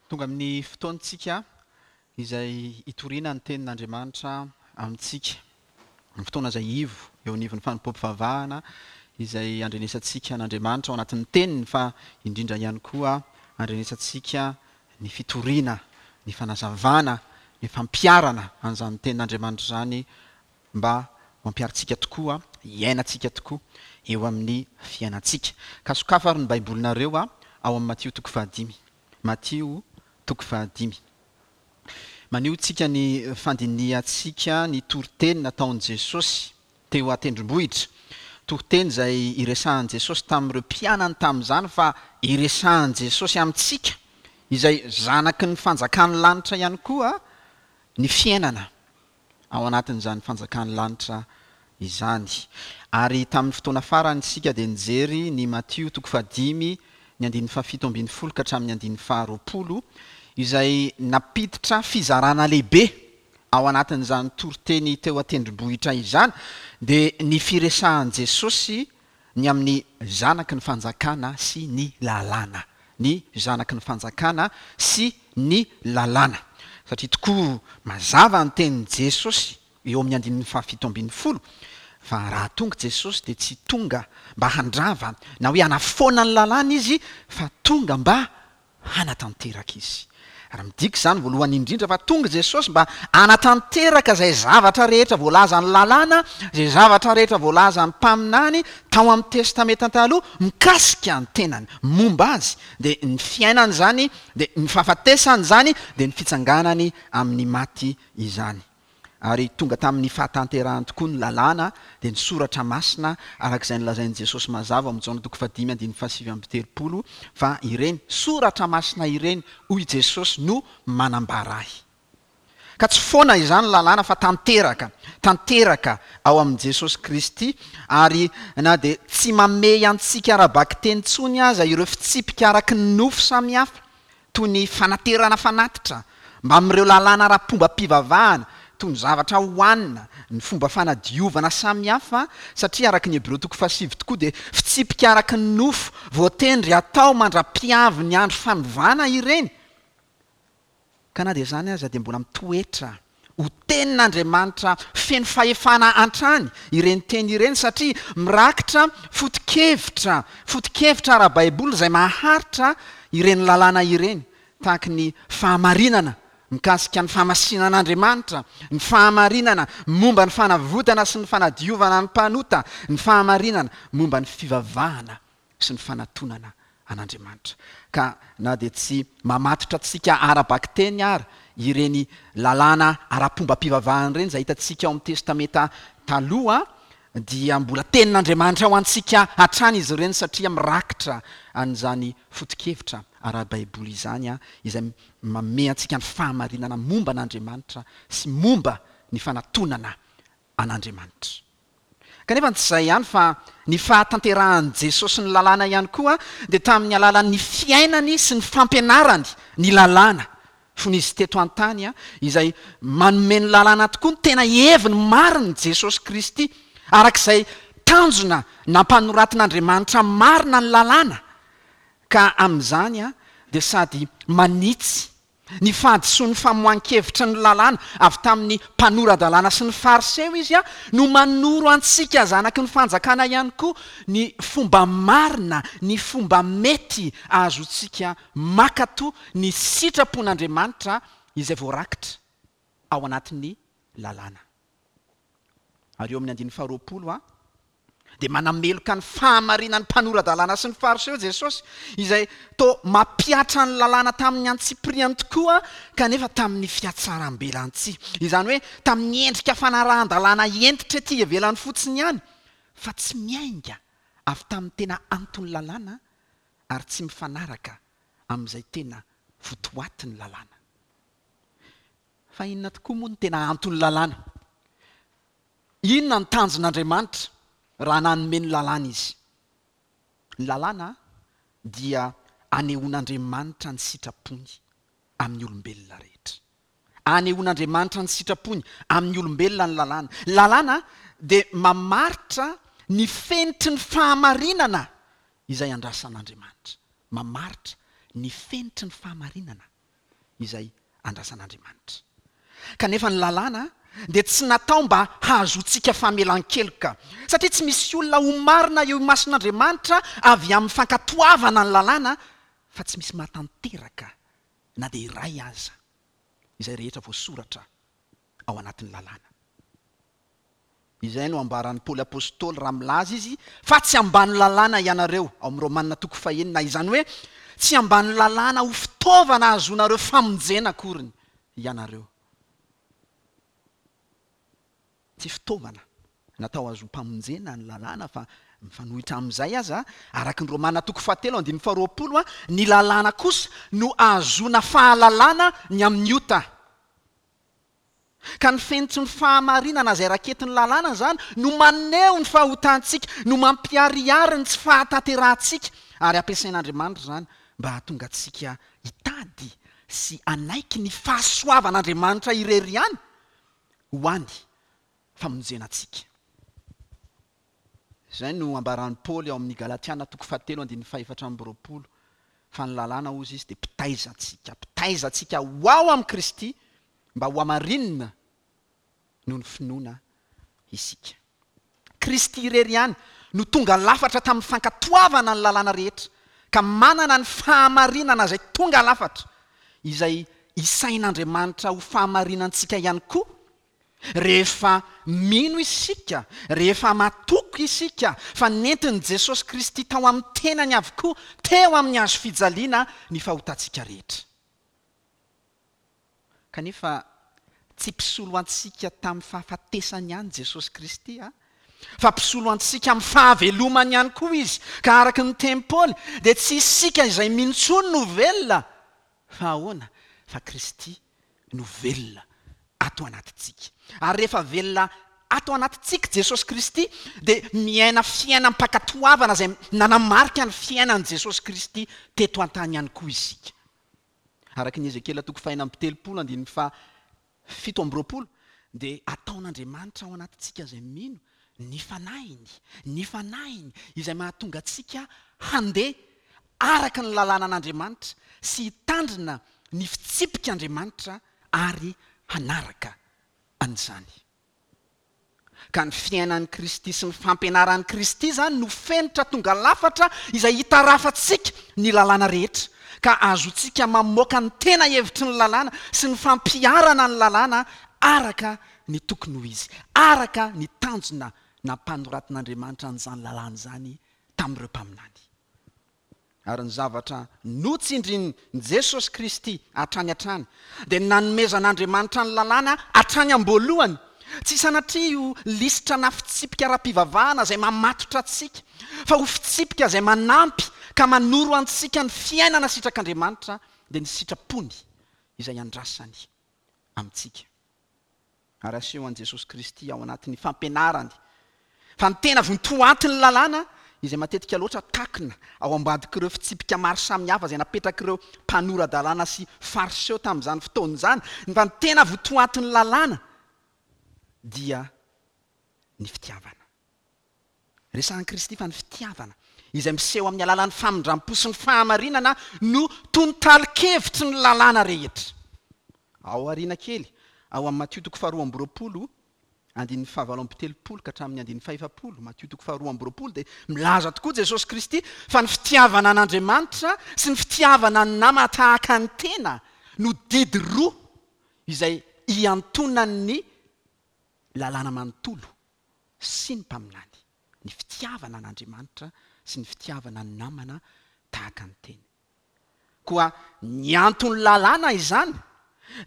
Tonga amin'ny fotoantsika izay hitoriana ny tenin'Andriamanitra amintsika. Ny fotoana izay ivo eo anivon'ny fanompoam-pivavahana izay andrenesantsika an'Andriamanitra ao anatin'ny teniny fa indrindra ihany koa andrenesantsika ny fitoriana, ny fanazavana, ny fampiharana an'izany tenin'Andriamanitra izany mba ho ampiharintsika tokoa, hiainantsika tokoa eo amin'ny fiainantsika. Ka sokafo ary ny Baibolinareo ao amin'ny Matio toko fahadimy. Matio toko fahadimy. Maneho antsika ny fandinihantsika ny toriteny nataon'i Jesosy teo an-tendrombohitra. Toriteny izay iresahan'i Jesosy tamin'ireo mpianany tamin'izany fa iresahan'i Jesosy amintsika izay zanaky ny fanjakan'ny lanitra ihany koa ny fiainana. ao anatin'izany fanjakan'ny lanitra izany. Ary tamin'ny fotoana farany isika dia nijery ny Matio toko fahadimy ny andininy fahafito ambin'ny folo ka hatramin'ny andininy faharoapolo izay nampiditra fizarana lehibe ao anatin'izany toriteny teo an-tendrombohitra izany dia ny firesahan'i Jesosy ny amin'ny zanaky ny fanjakana sy ny lalàna. Ny zanaky ny fanjakana sy ny lalàna. Satria tokoa mazava ny tenin'i Jesosy eo amin'ny andininy fahafito ambin'ny folo fa raha tonga Jesosy dia tsy tonga mba handrava na hoe hanafoana ny lalàna Izy fa tonga mba hanatanteraka Izy. Ary midika izany voalohany indrindra fa tonga Jesosy mba hanatanteraka izay zavatra rehetra voalazan'ny lalàna, izay zavatra rehetra voalazan'ny mpaminany tao amin'ny Testamenta Taloha mikasika ny tenany, momba Azy, dia ny fiainany izany, dia ny fahafatesany izany, dia ny fitsanganany amin'ny maty izany. Ary tonga tamin'ny fahatanterahany tokoa ny Lalàna, dia ny Soratra Masina, araka izay nolazain'i Jesosy mazava ao amin'ny Jaona toko fahadimy andininy fahasivy amby telopolo, fa ireny Soratra Masina ireny, hoy Jesosy, no manambara Ahy. Ka tsy foana izany ny Lalàna fa tanteraka, tanteraka ao amin'i Jesosy Kristy, ary na dia tsy mamehy antsika ara-bakiteny intsony aza ireo fitsipika araka ny nofo samihafa, toy ny fanaterana fanatitra, mbamin'ireo lalàna ara-pombam-pivavahana, toy ny zavatra hohanina, ny fomba fanadiovana samihafa, satria araka ny Hebreo toko fahasivy tokoa dia fitsipika araka ny nofo voatendry hatao mandra-piavy ny andro fanovana ireny. Ka na dia izany aza dia mbola mitoetra ho tenin'Andriamanitra feno fahefana hatrany ireny teny ireny satria mirakitra foto-kevitra, foto-kevitra ara-baiboly izay maharitra ireny lalàna ireny, tahaky ny fahamarinana mikasika ny fahamasinan'Andriamanitra, ny fahamarinana momba ny fanavotana sy ny fanadiovana ny mpanota, ny fahamarinana momba ny fivavahana sy ny fanatonana an'Andriamanitra. Ka na dia tsy mamatotra antsika ara-bakiteny ary ireny lalàna ara-pombam-pivavahana ireny izay hitantsika ao amin'ny Testamenta Taloha, dia mbola Tenin'Andriamanitra ho antsika hatrany izy ireny satria mirakitra an'izany foto-kevitra ara-baiboly izany izay manome antsika ny fahamarinana momba an'Andriamanitra sy momba ny fanatonana an'Andriamanitra. Kanefa tsy izay ihany fa ny fahatanterahan'i Jesosy ny lalàna ihany koa dia tamin'ny alalan'ny fiainany sy ny fampianarany ny lalàna fony izy teto an-tany izay manome ny lalàna tokoa ny tena heviny marina Jesosy Kristy araka izay tanjona nampanoratin'Andriamanitra marina ny lalàna ka amin'izany dia sady manitsy Ny fahadisoan'ny famoahan-kevitry ny lalàna avy tamin'ny mpanora-dalàna sy ny Fariseo izy no manoro antsika zanaky ny fanjakana ihany koa ny fomba marina, ny fomba mety ahazoantsika mankatò ny sitrapon'Andriamanitra izay voarakitra ao anatin'ny lalàna. Ary eo amin'ny andininy faharoapolo a, dia manameloka ny fahamarinan'ny mpanora-dalàna sy ny Fariseo Jesosy, izay toa mampihatra ny lalàna tamin'ny antsipiriany tokoa, kanefa tamin'ny fihatsaram-belantsihy. Izany hoe tamin'ny endrika fanarahan-dalàna hentitra ety ivelany fotsiny ihany, fa tsy miainga avy tamin'ny tena anton'ny lalàna ary tsy mifanaraka amin'izay tena votoatin'ny lalàna. Fa inona tokoa moa no tena anton'ny lalàna? Inona no tanjon'Andriamanitra raha nanome ny lalàna Izy? Ny lalàna dia anehoan'Andriamanitra ny sitrapony amin'ny olombelona rehetra. Anehoan'Andriamanitra ny sitrapony amin'ny olombelona ny lalàna. Ny lalàna dia mamaritra ny fenitry ny fahamarinana izay andrasan'Andriamanitra. Mamaritra ny fenitry ny fahamarinana. izay andrasan'Andriamanitra. Kanefa ny lalàna dia tsy natao mba hahazoantsika famelan-keloka, satria tsy misy olona ho marina eo imason'Andriamanitra avy amin'ny fankatoavana ny lalàna, fa tsy misy mahatanteraka na dia iray aza izay rehetra voasoratra ao anatin'ny lalàna. Izay no ambaran'i Paoly Apostoly raha milaza izy fa tsy ambany lalàna ianareo, ao amin'ny Romana toko fahenina, izany hoe tsy ambany lalàna ho fitaovana hahazoanareo famonjena akoriny ianareo. Tsy fitaovana natao hahazoam-pamonjena ny lalàna fa mifanohitra amin'izay aza, araka ny Romana toko fahatelo andininy faharoapolo, ny lalàna kosa no ahazoana fahalalana ny amin'ny ota. Ka ny fenitry ny fahamarinana izay raketin'ny lalàna izany no maneho ny fahotantsika, no mampiharihary ny tsy fahatanterahantsika, ary ampiasain'Andriamanitra izany mba hahatonga antsika hitady sy hanaiky ny fahasoavan'Andriamanitra irery ihany ho any famonjena antsika. Izay no ambaran'i Paoly ao amin'ny Galatiana toko fahatelo andininy fahefatra amby 20, fa ny lalàna, hozy izy, dia mpitaiza antsika, mpitaiza antsika ho ao amin'i Kristy mba hohamarinina noho ny finoana isika. Kristy irery ihany no tonga lafatra tamin'ny fankatoavana ny lalàna rehetra, ka manana ny fahamarinana izay tonga lafatra, izay isain'Andriamanitra ho fahamarinantsika ihany koa, Rehefa mino isika, rehefa matoky isika fa nentin'i Jesosy Kristy tao amin'ny tenany avokoa teo amin'ny hazo fijaliana ny fahotantsika rehetra. Kanefa tsy mpisolo antsika tamin'ny fahafatesany ihany Jesosy Kristy, fa mpisolo antsika amin'ny fahavelomany ihany koa Izy. Ka araka ny tenin'i Paoly, dia tsy isika izay mino intsony no velona, fa ahoana? Fa Kristy no velona ato anatintsika. Ary rehefa velona ato anatintsika Jesosy Kristy, dia miaina fiainam-pankatoavana izay nanamarika ny fiainan'i Jesosy Kristy teto an-tany ihany koa isika. Araka ny Ezekiela toko fahenina amby telopolo andininy faha 27 dia ataon'Andriamanitra ao anatintsika izay mino ny Fanahiny, ny Fanahiny izay mahatonga antsika handeha araka ny lalànan'Andriamanitra sy hitandrina ny fitsipik'Andriamanitra ary hanaraka an'izany. Ka ny fiainan'i Kristy sy ny fampianaran'i Kristy izany no fenitra tonga lafatra izay hitarafantsika ny lalàna rehetra, ka azontsika mamoaka ny tena hevitry ny lalàna sy ny fampiharana ny lalàna araka ny tokony ho izy, araka ny tanjona nampanoratin'Andriamanitra an'izany lalàna izany tamin'ireo mpaminany. Ary ny zavatra notsindrin'i Jesosy Kristy hatrany hatrany dia ny nanomezan'Andriamanitra ny lalàna hatrany am-boalohany. Tsy sanatria ho lisitra na fitsipika ara-pivavahana izay mamatotra antsika, fa ho fitsipika izay manampy ka manoro antsika ny fiainana sitrak'Andriamanitra, dia ny sitrapony izay andrasany amintsika. Ary aseho an'i Jesosy Kristy ao anatin'ny fampianarany fa ny tena vontoantin'ny lalàna, izay matetika loatra takona ao ambadik'ireo fitsipika maro samihafa izay napetrak'ireo mpanora-dalàna sy Fariseo tamin'izany fotoana izany, fa ny tena vontoantin'ny lalàna dia ny fitiavana. Resahin'i Kristy fa ny fitiavana, izay miseho amin'ny alalan'ny famindram-po sy ny fahamarinana, no tontalin-kevitry ny lalàna rehetra. Ao aoriana kely, ao amin'ny Matio toko faharoa amby 20, andininy fahavalo amby 30 ka hatramin'ny andininy fahefapolo, Matio toko faharoa amby 20, dia milaza tokoa Jesosy Kristy fa ny fitiavana an'Andriamanitra sy ny fitiavana ny nama tahaka ny tena no didy roa izay iantonan'ny lalàna manontolo sy ny mpaminany, ny fitiavana an'Andriamanitra sy ny fitiavana ny namana tahaka ny teny. Koa ny anton'ny lalàna izany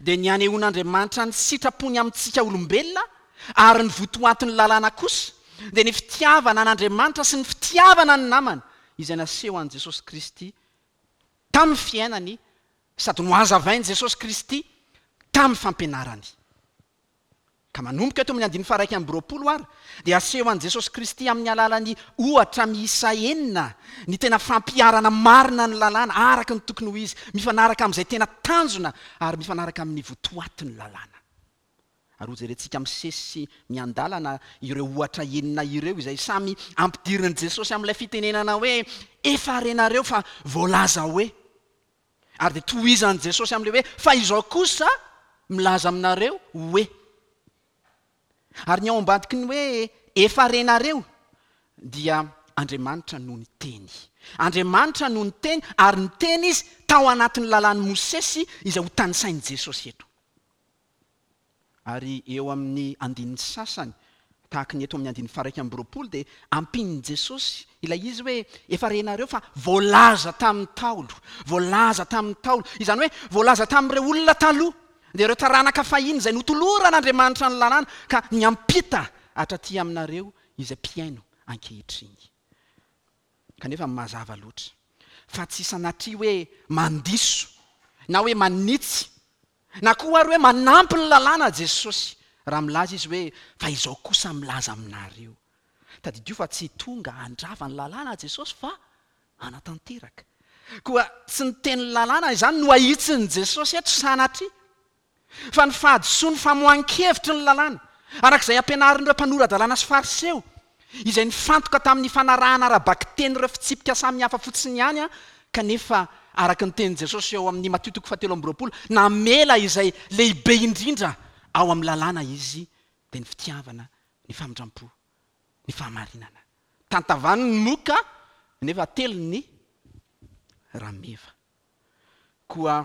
dia ny hanehoan'Andriamanitra ny sitrapony amintsika olombelona ary ny votoatin'ny lalàna kosa dia ny fitiavana an'Andriamanitra sy ny fitiavana ny namana izay naseho an'i Jesosy Kristy tamin'ny fiainany sady nohazavain'i Jesosy Kristy tamin'ny fampianarany. Ka manomboka eto amin'ny andininy faha-21 ary dia aseho an'i Jesosy Kristy amin'ny alalan'ny ohatra miisa enina ny tena fampiharana marina ny lalàna araka ny tokony ho izy, mifanaraka amin'izay tena tanjona ary mifanaraka amin'ny votoatin'ny lalàna. Ary hojerentsika misesy sy miandalana ireo ohatra enina ireo izay samy ampidirin'i Jesosy amin'ilay fitenenana hoe efa renareo fa voalaza hoe. Ary dia tohizan'i Jesosy amin'ilay hoe, Fa izao kosa milaza aminareo hoe. Ary ny ao ambadiky ny hoe efa renareo dia Andriamanitra no niteny. Andriamanitra no niteny ary niteny Izy tao anatin'ny lalàn'i Mosesy izay ho tanisain'i Jesosy eto. Ary eo amin'ny andininy sasany, tahaka ny eto amin'ny andininy faha-21 dia ampian'i Jesosy ilay izy hoe efa renareo fa voalaza tamin'ny Ntaolo, voalaza tamin'ny Ntaolo, izany hoe voalaza tamin'ireo olona taloha, dia ireo taranaka fahiny izay notoloran'Andriamanitra ny lalàna ka niampita hatraty aminareo izay mpihaino ankehitriny. Kanefa mazava loatra fa tsy sanatria hoe mandiso na hoe manitsy na koa ary hoe manampy ny lalàna Jesosy raha milaza Izy hoe fa izao kosa milaza aminareo. Tadidio fa tsy tonga handrava ny lalàna Jesosy fa hanatanteraka. Koa tsy ny tenin'ny lalàna izany no ahitsin'i Jesosy eto sanatria, fa ny fahadisoan'ny famoahan-kevitry ny lalàna, araka izay ampianarin'ireo mpanora-dalàna sy Fariseo, izay nifantoka tamin'ny fanarahana ara-bakiteny ireo fitsipika samihafa fotsiny ihany, kanefa, araka ny tenin'i Jesosy ao amin'ny Matio toko fahatelo amby 20, namela izay lehibe indrindra ao amin'ny lalàna Izy, dia ny fitiavana, ny famindram-po, ny fahamarinana. Tantavany ny moka nefa ateliny ny rameva. Koa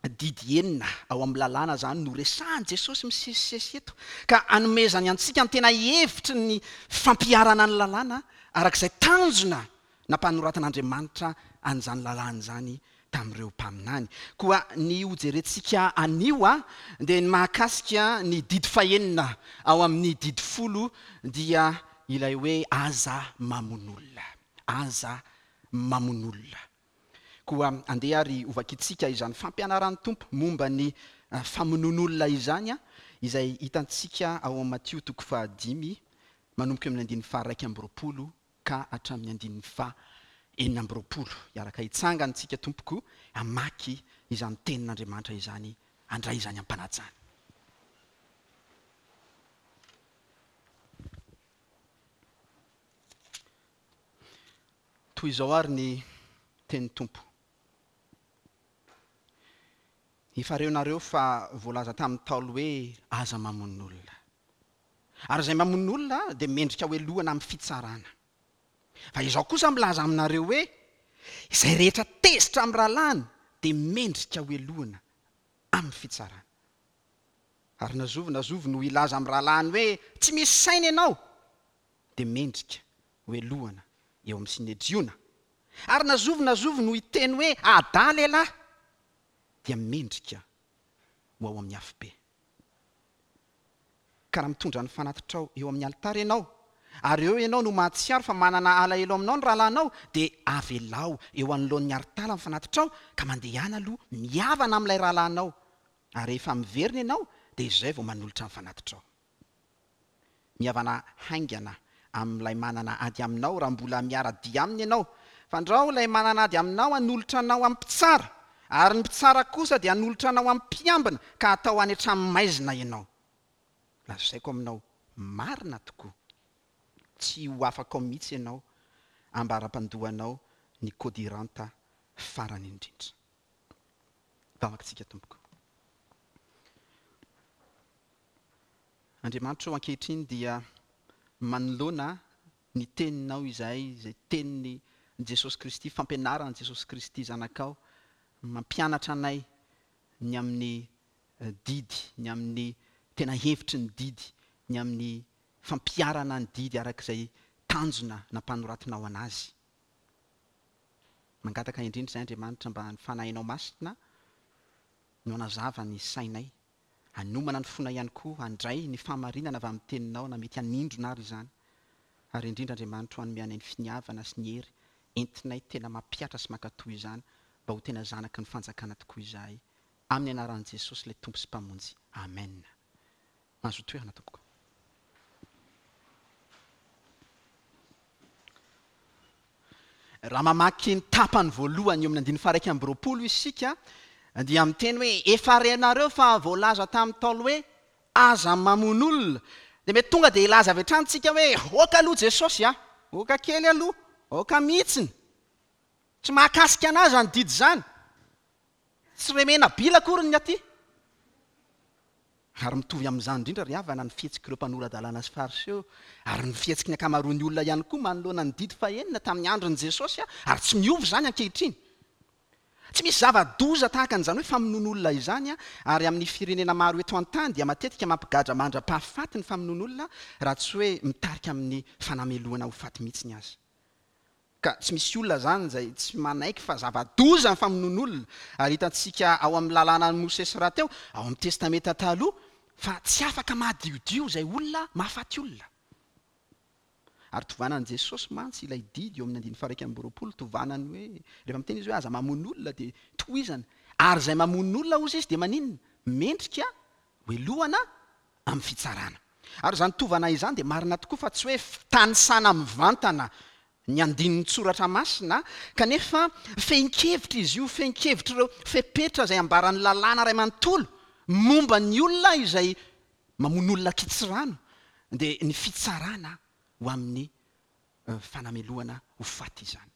didy enina ao amin'ny lalàna izany no resahin'i Jesosy misesisesy eto, ka anomezany antsika ny tena hevitry ny fampiharana ny lalàna araka izay tanjona nampanoratan'Andriamanitra an'izany lalàna izany tamin'ireo mpaminany. Koa ny hojerentsika anio dia ny mahakasika ny didy fahenina ao amin'ny didy folo dia ilay hoe aza mamono olona. Aza mamono olona. Koa andeha ary hovakintsika izany fampianaran'ny Tompo momba ny famonoan'olona izany izay hitantsika ao amin'ny Matio toko fahadimy manomboka eo amin'ny andininy faha-21 ka hatramin'ny andininy faha 26. Hiaraka hitsangana isika tompoko hamaky izany tenin'Andriamanitra izany, handray izany am-panajana. Toy izao ary ny tenin'ny Tompo. Efa renareo fa voalaza tamin'ny Ntaolo hoe aza mamono olona. Ary izay mamono olona dia mendrika hohelohana amin'ny fitsarana. Fa izaho kosa milaza aminareo hoe, izay rehetra tezitra amin'ny rahalahiny dia mendrika hohelohana amin'ny fitsarana. Ary na zovy na zovy no hilaza amin'ny rahalahiny hoe, Tsy misy saina ianao! dia mendrika hohelohana eo amin'ny Synedriona. Ary na zovy na zovy no hiteny hoe, Adala ialahy! dia mendrika ho ao amin'ny afobe. Ka raha mitondra ny fanatitrao eo amin'ny alitara ianao, ary eo ianao no mahatsiaro fa manana alahelo aminao ny rahalahinao, dia avelao eo anoloan'ny aritara ny fanatitrao, ka mandehana aloha mihavana amin'ilay rahalahinao, ary rehefa miverina ianao, dia izay vao manolotra ny fanatitrao. Mihavana haingana amin'ilay manana ady aminao raha mbola miara-dia aminy ianao, fandrao ilay manana ady aminao hanolotra anao amin'ny mpitsara, ary ny mpitsara kosa dia hanolotra anao amin'ny mpiambina ka hatao any an-tranomaizina ianao. Lazaiko aminao marina tokoa, tsy ho afaka ao mihitsy ianao ambara-pandoanao ny kodiranta farany indrindra. Vavaka-tsika tompoko. Andriamanitra ô ankehitriny dia manoloana ny teninao izahay izay tenin'i Jesosy Kristy, fampianaran'i Jesosy Kristy Zanakao, mampianatra anay ny amin'ny didy, ny amin'ny tena hevitry ny didy, ny amin'ny fampiharana ny didy araka izay tanjona nampanoratinao anazy. Mangataka indrindra izahay Andriamanitra mba ny Fanahinao Masina no hanazava ny sainay Hanomana ny fonay ihany koa handray ny fahamarinana avy amin'ny Teninao na mety hanindrona ary izany. Ary indrindra Andriamanitro hanome anay ny finiavana sy ny hery entinay tena mampihatra sy mankatò izany mba ho tena zanaky ny fanjakana tokoa izahay. Amin'ny anaran'i Jesosy ilay Tompo sy Mpamonjy. Amen. Mahazoa toerana tompoko. Raha mamaky ny tapany voalohany eo amin'ny andininy faha-21 isika dia miteny hoe, Efa renareo fa voalaza tamin'ny Ntaolo hoe, Aza mamono olona. Dia mety tonga dia hilaza avy hatrany isika hoe, Aoka aloha Jesosy a! Aoka kely aloha! Aoka mihitsiny! Tsy mahakasika an'ahy izany didy izany! Tsy Remenabila akory ny aty. Ary mitovy amin'izany indrindra ry havana ny fihetsik'ireo mpanora-dalàna sy Fariseo, ary ny fihetsiky ny ankamaroan'ny olona ihany koa manoloana ny didy fahenina tamin'ny andron'i Jesosy, ary tsy miova izany ankehitriny. Tsy misy zava-doza tahaka an'izany hoe famonoan'olona izany, ary amin'ny firenena maro eto an-tany dia matetika mampigadra mandra-pahafaty ny famonoan'olona, raha tsy hoe mitarika amin'ny fanamelohana ho faty mihitsy aza. Ka tsy misy olona izany izay tsy manaiky fa zava-doza ny famonoan'olona, ary hitantsika ao amin'ny lalànan'i Mosesy rahateo, ao amin'ny Testamenta Taloha, fa tsy afaka madiodio izay olona mahafaty olona. Ary tovanan'i Jesosy mantsy ilay didy eo amin'ny andininy faha-21, tovanany hoe, rehefa miteny izy hoe aza mamono olona dia tohizany, ary izay mamono olona hozy izy dia maninona? Mendrika hoelohana amin'ny fitsarana. Ary izany tovana izany dia marina tokoa fa tsy hoe fitanisana mivantana ny andinin-tsoratra masina, kanefa fehin-kevitra izy io, fehin-kevitr'ireo fepetra izay ambaran'ny lalàna iray manontolo momba ny olona izay mamono olona an-kitsirano, dia ny fitsarana ho amin'ny fanamelohana ho faty izany.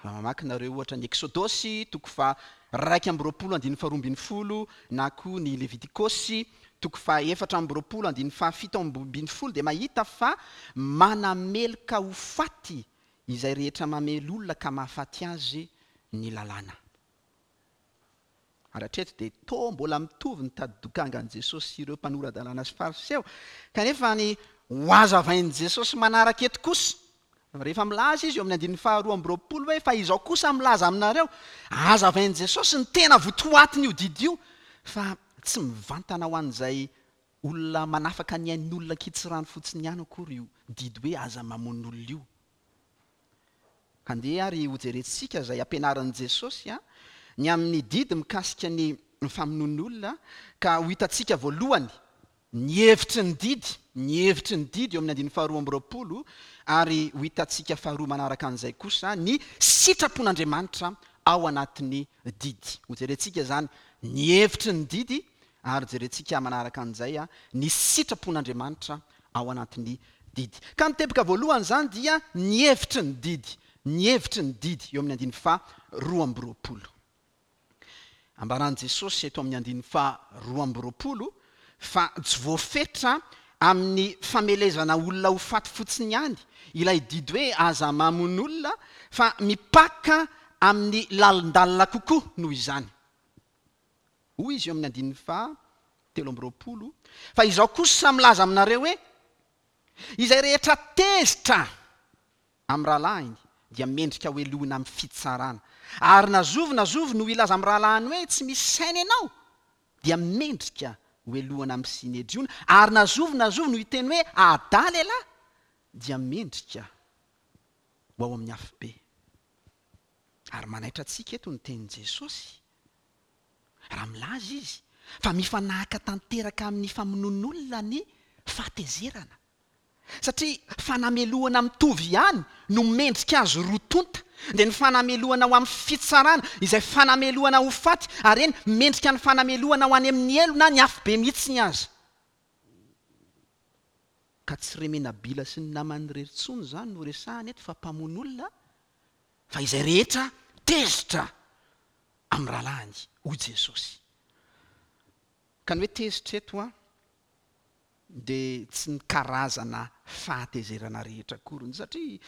Raha mamaky nareo ohatra ny Eksodosy toko faha 21 andininy faha 12 na koa ny Levitikosy toko faha 24 andininy faha 17 dia mahita fa manameloka ho faty izay rehetra mamely olona ka mahafaty azy ny lalàna. Ary hatreto dia toa mbola mitovy ny tadi-dokangan'i Jesosy sy ireo mpanora-dalàna sy Fariseo. Kanefa ny hohazavain'i Jesosy manaraka eto kosa, rehefa milaza izy eo amin'ny andininy faharoa amby roapolo hoe fa izao kosa milaza aminareo, hazavain'i Jesosy ny tena votoatin'io didy io, fa tsy mivantana ho an'izay olona manafaka ny ain'olona an-kitsirano fotsiny ihany akory io didy hoe aza mamono olona io. Andeha ary hojerentsika izay ampianarin'i Jesosy ny amin'ny didy mikasika ny famonoan'olona, ka ho hitantsika voalohany ny hevitry ny didy, ny hevitry ny didy eo amin'ny andininy faharoa amby roapolo, ary ho hitantsika faharoa manaraka an'izay kosa ny sitrapon'Andriamanitra ao anatin'ny didy. Hojerentsika izany ny hevitry ny didy, ary jerentsika manaraka an'izay ny sitrapon'Andriamanitra ao anatin'ny didy. Ka ny teboka voalohany izany dia ny hevitry ny didy, ny hevitry ny didy eo amin'ny andininy faha 22. Ambaran'i Jesosy eto amin'ny andininy faha 22 fa tsy voafetra amin'ny famelezana olona ho faty fotsiny ihany ilay didy hoe aza mamono olona fa mipaka amin'ny lalindalina kokoa noho izany. Hoy izy eo amin'ny andininy faha 23, Fa izao kosa milaza aminareo hoe, Izay rehetra tezitra amin'ny rahalahiny dia mendrika hohelohina amin'ny fitsarana. Ary na zovy na zovy no hilaza amin'ny rahalahiny hoe, Tsy misy saina ianao, dia mendrika hohelohina amin'ny Synedriona. Ary na zovy na zovy no hiteny hoe, Adala ialahy, dia mendrika ho ao amin'ny afobe. Ary manaitra antsika eto ny tenin'i Jesosy raha milaza izy fa mifanahaka tanteraka amin'ny famonoan'olona ny fahatezerana. Satria fanamelohana mitovy ihany no mendrika azy roa tonta, dia ny fanamelohana ho amin'ny fitsarana, izay fanamelohana ho faty, ary eny, mendrika ny fanamelohana ho any amin'ny helo na ny afobe mihitsiny aza. Ka tsy Remenabila sy ny namany irery intsony izany no resahana eto fa mpamono olona, fa izay rehetra tezitra amin'ny rahalahiny, hoy Jesosy. Ka ny hoe tezitra eto an, dia tsy ny karazana fahatezerana rehetra akory, satria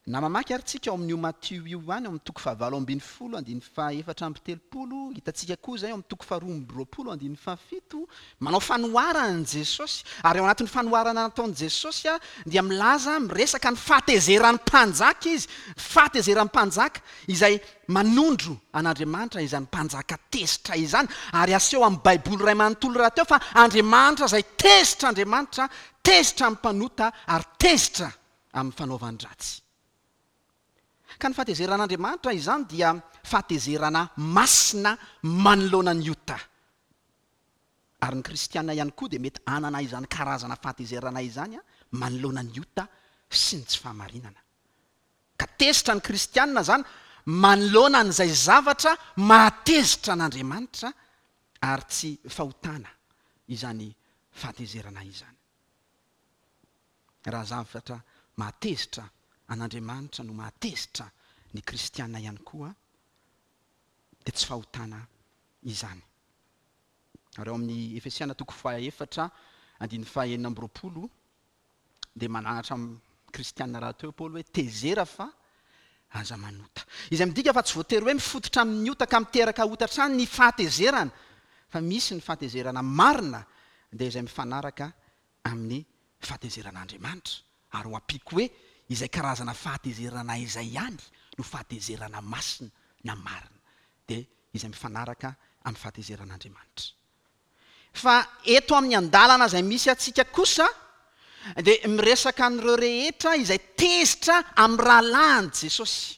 na mamaky ary tsika ao amin'io Matio io ihany, ao amin'ny toko fahavalo ambin'ny folo, andininy faha-34, hitantsika koa izay ao amin'ny toko faharoa amby roapolo, andininy fahafito, manao fanoharana Jesosy, ary ao anatin'ny fanoharana nataon'i Jesosy dia milaza, miresaka ny fahatezeran'ny mpanjaka izy, fahatezeran'ny mpanjaka izay manondro an'Andriamanitra izany mpanjaka tezitra izany, ary aseho amin'ny Baiboly iray manontolo rahateo fa Andriamanitra izay tezitra Andriamanitra, tezitra amin'ny mpanota ary tezitra amin'ny fanaovan-dratsy. Ka ny fahatezeran'Andriamanitra izany dia fahatezerana masina manoloana ny ota. Ary ny kristiana ihany koa dia mety hanana izany karazana fahatezerana izany manoloana ny ota sy ny tsy fahamarinana. Ka tezitra ny kristiana izany manoloana an'izay zavatra mahatezitra an'Andriamanitra ary tsy fahotana izany fahatezerana izany. Raha zavatra mahatezitra an'Andriamanitra no mahatezitra ny kristiana ihany koa, Dia tsy fahotana izany. Ary ao amin'ny Efesiana toko fahaefatra andininy fahaenina amby 20 dia mananatra amin'ny kristiana rahateo Paoly hoe tezera fa aza manota. Izay midika fa tsy voatery hoe mifototra amin'ny ota ka miteraka ota hatrany ny fahatezerana fa misy ny fahatezerana marina dia izay mifanaraka amin'ny fahatezeran'Andriamanitra ary ho ampiako hoe izay karazana fahatezerana izay ihany no fahatezerana masina na marina dia izay mifanaraka amin'ny fahatezeran'Andriamanitra. Fa eto amin'ny andalana izay misy antsika kosa dia miresaka an'ireo rehetra izay tezitra amin'ny rahalahiny Jesosy.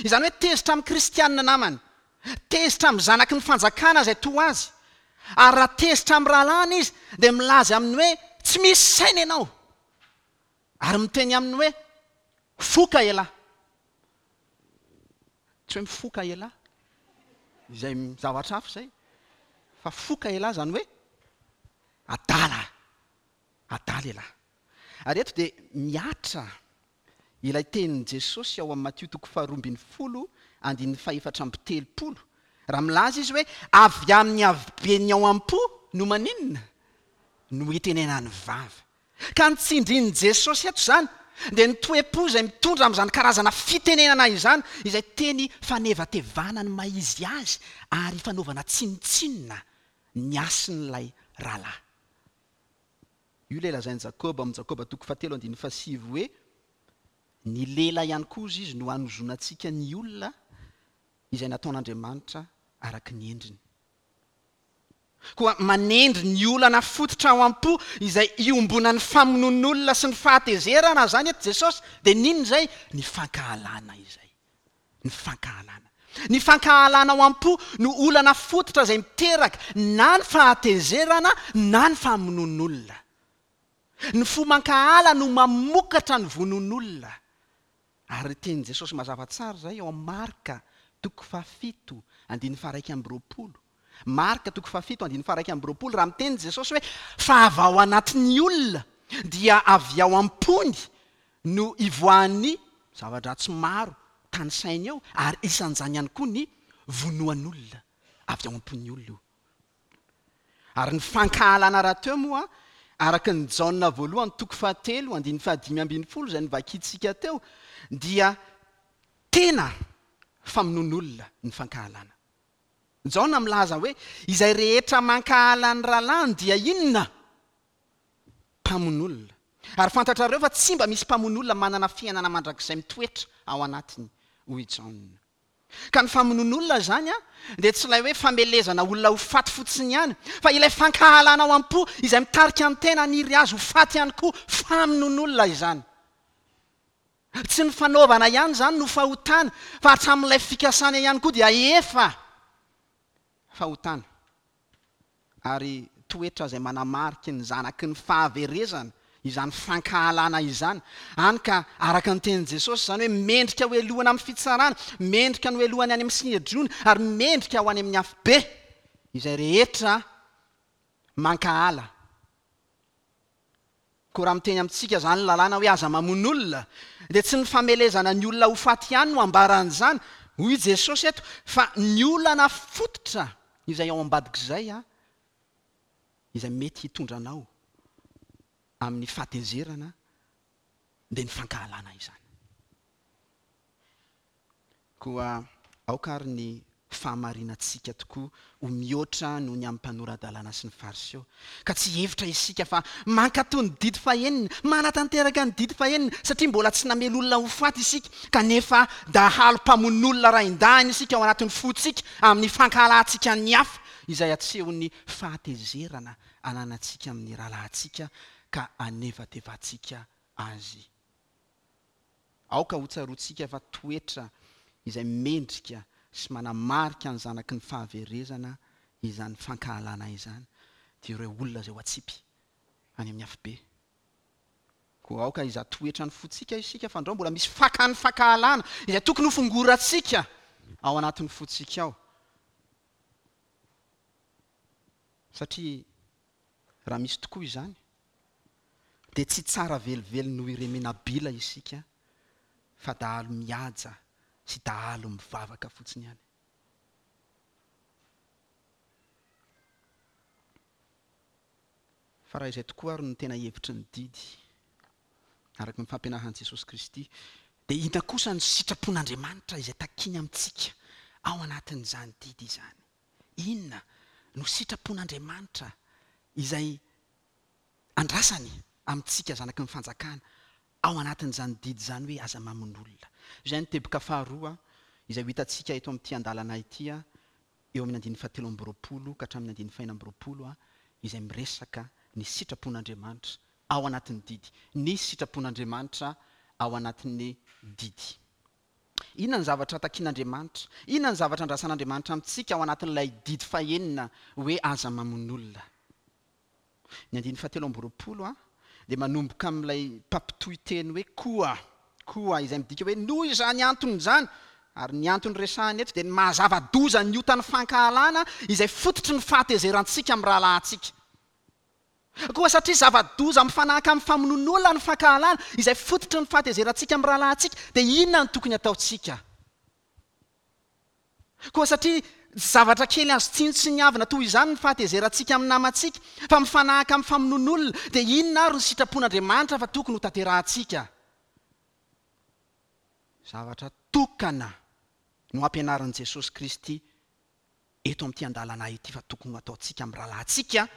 Izany hoe tezitra amin'ny kristianina namany, tezitra amin'ny zanaky ny fanjakana izay toa azy. Ary raha tezitra amin'ny rahalahiny izy dia milaza aminy hoe tsy misy saina ianao. Ary miteny aminy hoe foka ialahy. Tsy hoe mifoka elah, izay zavatra hafa izay, fa foka elah izany hoe adala, adala elah. Ary eto dia mihatra ilay tenin'i Jesosy ao amin'ny Matio toko faharoa ambin'ny folo andininy fahefatra amby telopolo, raha milaza izy hoe avy amin'ny haben'ny ao am-po no maninona? No itenenan'ny vava. Ka ny tsindrin'i Jesosy eto izany dia ny toe-po izay mitondra amin'izany karazana fitenenana izany, izay teny fanevatevana ny maha izy azy ary fanaovana tsinontsinona ny hasin'ilay rahalahy. Io ilay lazain'i Jakoba ao amin'ny Jakoba toko fahatelo andininy fahasivy hoe, Ny lela ihany koa hozy izy no hanozonantsika ny olona izay nataon'Andriamanitra araka ny endriny. Koa manendry ny olana fototra ao am-po izay iombonan'ny famonoan'olona sy ny fahatezerana izany eto Jesosy, dia n'inona izay? Ny fankahalana izay. Ny fankahalana. Ny fankahalana ao am-po no olana fototra izay miteraka na ny fahatezerana na ny famonoan'olona. Ny fo mankahala no mamokatra ny vonoan'olona. Ary tenin'i Jesosy mazava tsara izay ao amin'ny Marka toko fahafito andininy faha-21. Marka toko fahafito andininy faha-21, raha miteny Jesosy hoe, Fa avy ao anatin'ny olona dia avy ao am-pony no ivoahan'ny zava-dratsy maro tanisainy eo, ary isan'izany ihany koa ny vonoan'olona. Avy ao am-pon'ny olona io. Ary ny fankahalana rahateo moa, araka ny Jaona voalohany toko fahatelo andininy fahadimy ambin'ny folo izay novakintsika teo, dia tena famonoan'olona ny fankahalana. Jaona milaza hoe, Izay rehetra mankahala ny rahalahiny dia inona? Mpamono olona. Ary fantatrareo fa tsy mba misy mpamono olona manana fiainana mandrakizay mitoetra ao anatiny, hoy i Jaona. Ka ny famonoan'olona izany dia tsy ilay hoe famelezana olona ho faty fotsiny ihany, fa ilay fankahalana ao am-po izay mitarika ny tena haniry azy ho faty ihany koa, famonoan'olona izany. Tsy ny fanaovana ihany izany no fahotana, fa hatramin'ilay fikasana ihany koa dia efa fahotana. Ary toetra izay manamariky ny zanaky ny fahaverezana izany fankahalana izany. Hany ka araka ny tenin'i Jesosy izany hoe mendrika ho helohana amin'ny fitsarana, mendrika ny ho helohany any amin'ny Synedriona, ary mendrika ho any amin'ny afobe izay rehetra mankahala. Koa raha miteny amintsika izany ny lalàna hoe aza mamono olona, dia tsy ny famelezana ny olona ho faty ihany no ambaran'izany, hoy i Jesosy eto, fa ny olana fototra izay ao ambadik'izay, izay mety hitondra anao amin'ny fahatezerana, dia ny fankahalana izany. Koa aoka àry ny fahamarinantsika tokoa ho mihoatra noho ny amin'ny mpanora-dalàna sy ny Fariseo, ka tsy hihevitra isika fa mankatò ny didy fahenina, manatanteraka ny didy fahenina, satria mbola tsy namely olona ho faty isika, kanefa dahalo mpamono olona raindahiny isika ao anatin'ny fontsika amin'ny fankahalantsika ny hafa, izay asehon'ny fahatezerana ananantsika amin'ny rahalahintsika ka anevatevantsika azy. Aoka hotsaroantsika fa toetra izay mendrika sy manamarika ny zanaky ny fahaverezana izany fankahalana izany, dia ireo olona izay ho atsipy any amin'ny afobe. Koa aoka hizaha toetra ny fontsika isika fandrao mbola misy fakan'ny fankahalana izay tokony hofongorantsika ao anatin'ny fontsika ao. Satria Raha misy tokoa izany, dia tsy tsara velively noho irey menabila isika fa dahalo mihaja sy dahalo mivavaka fotsiny ihany. Fa raha izay tokoa ary no tena hevitry ny didy, araka ny fampianaran'i Jesosy Kristy, dia inona kosa no sitrapon'Andriamanitra izay takiny amintsika ao anatin'izany didy izany? Inona no sitrapon'Andriamanitra izay andrasany amintsika zanaky ny fanjakana ao anatin'izany didy izany hoe aza mamono olona? Izay no teboka faharoa izay ho hitantsika eto amin'ity andalana ity eo amin'ny andininy fahatelo amby 20 ka hatramin'ny andininy fahena amby 20 izay miresaka ny sitrapon'Andriamanitra ao anatin'ny didy. Ny sitrapon'Andriamanitra ao anatin'ny didy. Inona ny zavatra takin'Andriamanitra? Inona ny zavatra andrasan'Andriamanitra amintsika ao anatin'ilay didy fahenina hoe aza mamono olona? Ny andininy fahatelo amby 20 dia manomboka amin'ilay mpampitohy teny hoe koa, koa, izay midika hoe noho izany antony izany, ary ny antony resahina eto dia ny maha zava-doza ny otan'ny fankahalana izay fototry ny fahatezerantsika amin'ny rahalahintsika. Koa satria zava-doza mifanahaka amin'ny famonoan'olona ny fankahalana izay fototry ny fahatezerantsika amin'ny rahalahintsika, dia inona no tokony hataontsika? Koa satria tsy zavatra kely azo tsinontsiniavina toy izany ny fahatezerantsika amin'ny namantsika, fa mifanahaka amin'ny famonoan'olona, dia inona àry no sitrapon'Andriamanitra fa tokony hotanterahantsika? Zavatra tokana no ampianarin'i Jesosy Kristy eto amin'ity andalana ity fa tokony ho ataontsika amin'ny rahalahintsika,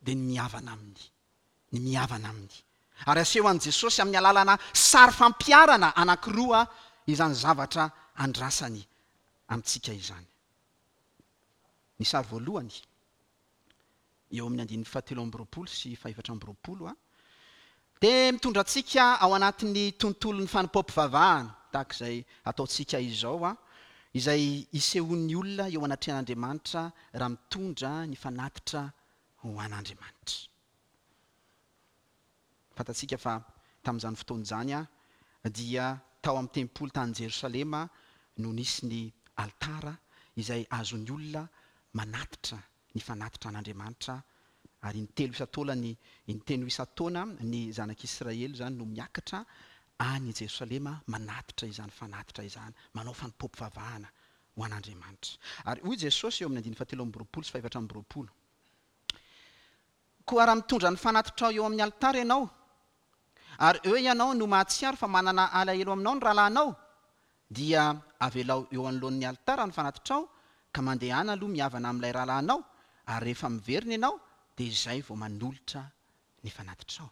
dia ny mihavana aminy. Ny mihavana aminy. Ary aseho an'i Jesosy amin'ny alalana sary fampiharana anankiroa izany zavatra andrasany amintsika izany. Ny sary voalohany, eo amin'ny andininy fahatelo amby 20 sy fahefatra amby 20, dia mitondra antsika ao anatin'ny tontolon'ny fanompoam-pivavahana, tahaka izay ataontsika izao, izay isehoan'ny olona eo anatrehan'Andriamanitra raha mitondra ny fanatitra ho an'Andriamanitra. Fantatsika fa tamin'izany fotoana izany dia tao amin'ny tempoly tany Jerosalema no nisy ny alitara izay azon'ny olona manatitra ny fanatitra an'Andriamanitra ary intelo isan-taona ny inteno isan-taona ny zanak'Israely izany no miakatra any Jerosalema manatitra izany fanatitra izany, manao fanompoam-pivavahana ho an'Andriamanitra. Ary hoy Jesosy eo amin'ny andininy fahatelo amby 20 sy fahefatra amby 20, Koa raha mitondra ny fanatitrao eo amin'ny alitara ianao, ary eo ianao no mahatsiaro fa manana alahelo aminao ny rahalahinao, dia avelao eo anoloan'ny alitara ny fanatitrao, ka mandehana aloha mihavana amin'ilay rahalahinao, ary rehefa miverina ianao, dia izay vao manolotra ny fanatitrao.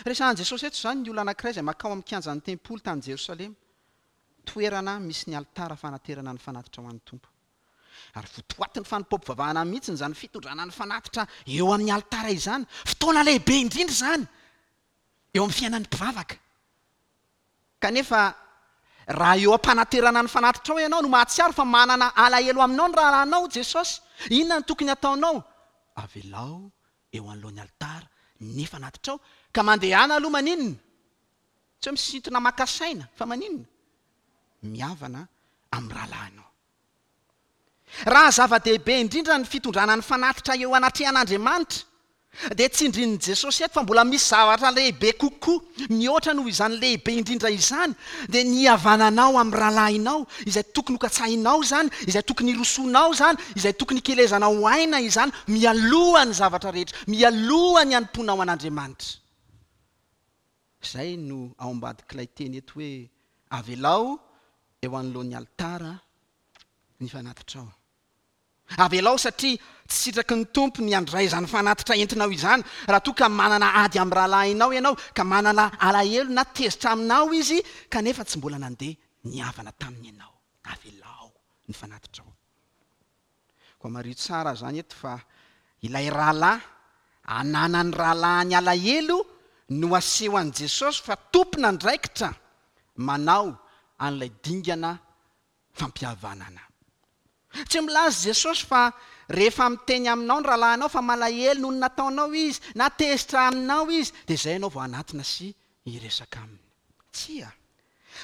Resahan'i Jesosy eto izany ny olona anankiray izay mankao amin'ny kianjan'ny tempoly tany Jerosalema, toerana misy ny alitara fanaterana ny fanatitra ho an'ny Tompo. Ary votoatin'ny fanompoam-pivavahana mihitsy izany fitondrana ny fanatitra eo amin'ny alitara izany. Fotoana lehibe indrindra izany eo amin'ny fiainan'ny mpivavaka. Kanefa, raha eo am-panaterana ny fanatitrao ianao no mahatsiaro fa manana alahelo aminao ny rahalahinao, Jesosy, inona no tokony hataonao? Avelao eo anoloan'ny alitara ny fanatitrao, ka mandehana aloha maninona? Tsy hoe misintona maka saina, fa maninona? Mihavana amin'ny rahalahinao. Raha zava-dehibe indrindra ny fitondrana ny fanatitra eo anatrehan'Andriamanitra, dia tsindrin'i Jesosy eto fa mbola misy zavatra lehibe kokoa mihoatra noho izany lehibe indrindra izany, dia ny hihavananao amin'ny rahalahinao, izay tokony hokatsahinao izany, izay tokony hirosoanao izany, izay tokony hikelezanao aina izany mialoha ny zavatra rehetra, mialoha ny hanompoanao an'Andriamanitra. Izay no ao ambadik'ilay teny eto hoe avelao eo anoloan'ny alitara ny fanatitrao. Avelao satria tsy sitraky ny Tompo ny handray izany fanatitra entinao izany raha toa ka manana ady amin'ny rahalahinao ianao, ka manana alahelo na tezitra aminao izy kanefa tsy mbola nandeha nihavana taminy ianao. Avelao ny fanatitrao. Koa mariho tsara izany eto fa ilay rahalahy ananan'ny rahalahiny alahelo no aseho an'i Jesosy fa tompon'andraikitra manao an'ilay dingana fampihavanana. Tsy milaza Jesosy fa rehefa miteny aminao ny rahalahinao fa malahelo noho ny nataonao izy na tezitra aminao izy dia izay ianao vao hanatona sy hiresaka aminy. Tsia.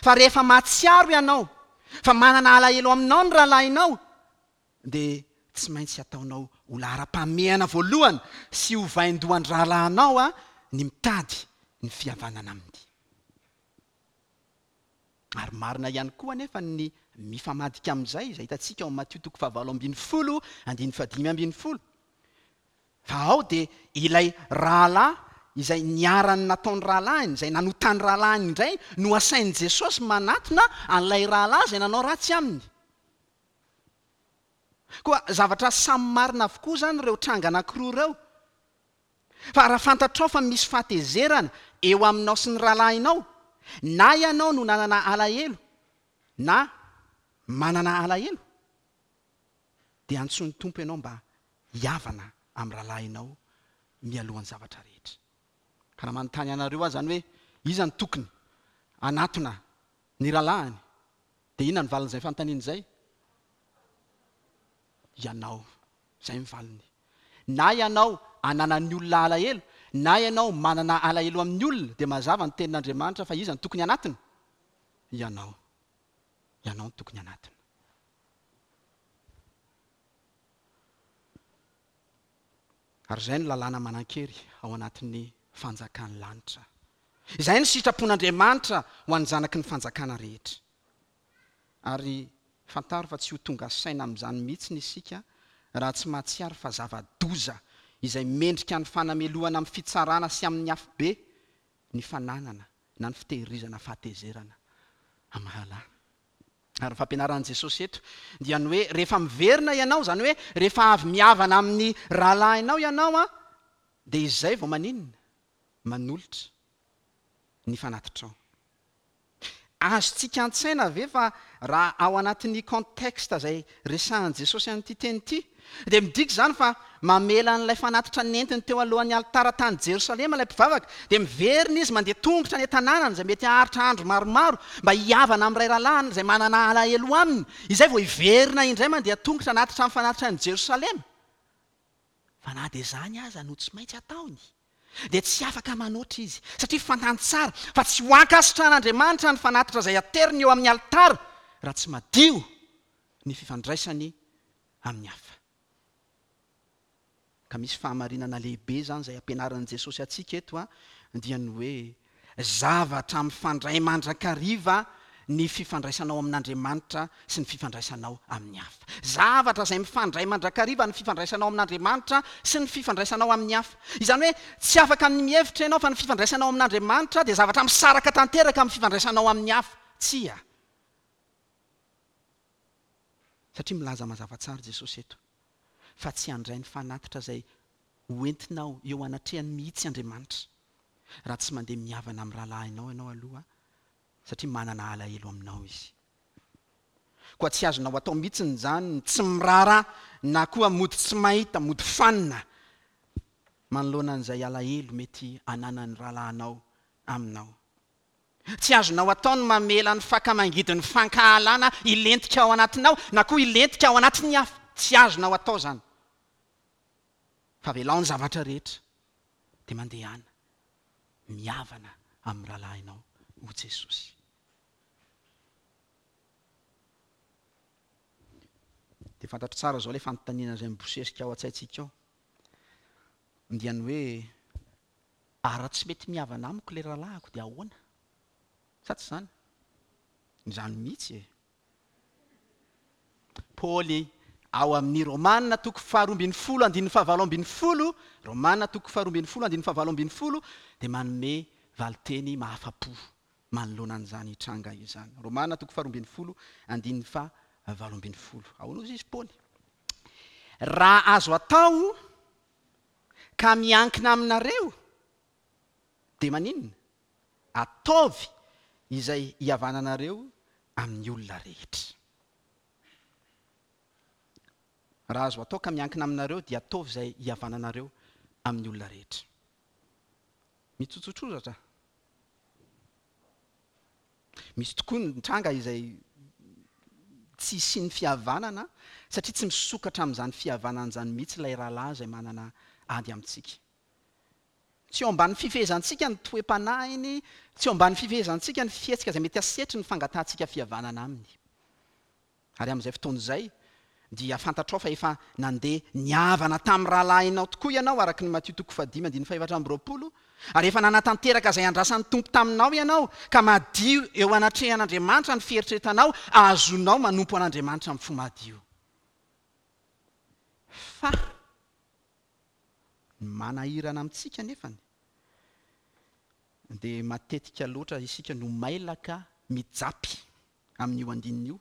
Fa rehefa mahatsiaro ianao fa manana alahelo aminao ny rahalahinao, dia tsy maintsy ataonao ho laharam-pahamehana voalohany sy ho vaindohan-drahalahinao ny mitady ny fihavanana aminy. Ary marina ihany koa anefa ny mifamadika amin'izay, izay hitantsika ao amin'ny Matio toko fahavalo ambin'ny folo, andininy fahadimy ambin'ny folo. Fa ao dia ilay rahalahy izay niharan'ny nataon'ny rahalahiny, izay nanotan'ny rahalahiny indray no asain'i Jesosy manatona an'ilay rahalahy izay nanao ratsy aminy. Koa zavatra samy marina avokoa izany ireo tranga anankiroa ireo. Fa raha fantatrao fa misy fahatezerana eo aminao sy ny rahalahinao, na ianao no nanana alahelo na manana alahelo, dia antsoin'ny Tompo ianao mba hihavana amin'ny rahalahinao mialohan'ny zavatra rehetra. Ka raha manontany anareo aho izany hoe iza no tokony hanatona ny rahalahiny, dia inona ny valin'izay fanontaniana izay? Ianao. Izay ny valiny. Na ianao ananan'ny olona alahelo, na ianao manana alahelo amin'ny olona, dia mazava ny tenin'Andriamanitra fa iza no tokony hanatona? Ianao. Ianao no tokony hanatona. Ary izay no lalàna manan-kery ao anatin'ny fanjakan'ny lanitra. Izay no sitrapon'Andriamanitra ho an'ny zanaky ny fanjakana rehetra. Ary fantaro fa tsy ho tonga saina amin'izany mihitsiny isika raha tsy mahatsiaro fa zava-doza izay mendrika ny fanamelohana amin'ny fitsarana sy amin'ny afobe ny fananana na ny fitehirizana fahatezerana amin'ny rahalahy. Ary ny fampianaran'i Jesosy eto dia ny hoe rehefa miverina ianao, izany hoe rehefa avy mihavana amin'ny rahalahinao ianao dia izay vao maninona? Manolotra ny fanatitrao. Azontsika an-tsaina ve fa raha ao anatin'ny contexte izay resahan'i Jesosy an'ity teny ity dia midika izany fa mamela an'ilay fanatitra nentiny teo alohan'ny alitara tany Jerosalema ilay mpivavaka, dia miverina izy mandeha tongotra any an-tanànany izay mety haharitra andro maromaro mba hihavana amin'ilay rahalahiny izay manana alahelo aminy, izay vao hiverina indray mandeha tongotra hanatitra ny fanatitra any Jerosalema. Fa na dia izany aza no tsy maintsy ataony, dia tsy afaka manoatra izy, satria fantany tsara fa tsy ho ankasitrahan'Andriamanitra ny fanatitra izay ateriny eo amin'ny alitara raha tsy madio ny fifandraisany amin'ny hafa. Ka misy fahamarinana lehibe izany izay ampianarin'i Jesosy antsika eto dia ny hoe zavatra mifandray mandrakariva ny fifandraisanao amin'Andriamanitra sy ny fifandraisanao amin'ny hafa. Zavatra izay mifandray mandrakariva ny fifandraisanao amin'Andriamanitra sy ny fifandraisanao amin'ny hafa. Izany hoe tsy afaka ny mihevitra ianao fa ny fifandraisanao amin'Andriamanitra dia zavatra misaraka tanteraka amin'ny fifandraisanao amin'ny hafa. Tsia. Satria milaza mazava tsara Jesosy eto fa tsy handray ny fanatitra izay ho entinao eo anatrehany mihitsy Andriamanitra raha tsy mandeha mihavana amin'ny rahalahinao ianao aloha satria manana alahelo aminao izy. Koa tsy azonao atao mihitsiny izany ny tsy miraharaha na koa mody tsy mahita, mody fanina manoloana an'izay alahelo mety ananan'ny rahalahinao aminao. Tsy azonao atao ny mamela ny faka mangidin'ny fankahalana hilentika ao anatinao na koa hilentika ao anatin'ny hafa. Tsy azonao atao izany. Fa avelao ny zavatra rehetra dia mandehana mihavana amin'ny rahalahinao ho Jesosy. Dia fantatro tsara izao ilay fanontaniana izay mibosesika ao an-tsaintsika ao. Dia ny hoe Ary raha tsy mety mihavana amiko ilay rahalahiko dia ahoana? Sa tsy izany? Izany mihitsy e! Paoly, ao amin'ny Romana toko faharoa ambin'ny folo andininy fahavalo ambin'ny folo, Romana toko faharoa ambin'ny folo andininy fahavalo ambin'ny folo, dia manome valinteny mahafa-po manoloana an'izany tranga izany. Romana toko faharoa ambin'ny folo andininy fahavalo ambin'ny folo. Ahoana hozy izy Paoly? Raha azo atao Ka miankina aminareo dia maninona? Ataovy izay hihavananareo amin'ny olona rehetra. Raha azo atao ka miankina aminareo dia ataovy izay hihavananareo amin'ny olona rehetra. Mitsotsotrozatra. Misy tokoa ny tranga izay tsy hisian'ny fihavanana satria tsy misokatra amin'izany fihavanana izany mihitsy ilay rahalahy izay manana ady amintsika. Tsy eo ambany fifehezantsika ny toe-panahiny, tsy eo ambany fifehezantsika ny fihetsika izay mety hasetry ny fangatahantsika fihavanana aminy. Ary amin'izay fotoana izay, dia fantatrao fa efa nandeha nihavana tamin'ny rahalahinao tokoa ianao, araka ny Matio toko fahadimy andininy fahefatra amby roapolo, ary efa nanatanteraka izay andrasan'ny Tompo taminao ianao, ka madio eo anatrehan'Andriamanitra ny fieritreretanao, ahazoanao manompo an'Andriamanitra amin'ny fo madio. Fa. Ny manahirana amintsika anefany dia matetika loatra isika no mailaka mijapy amin'io andininy io,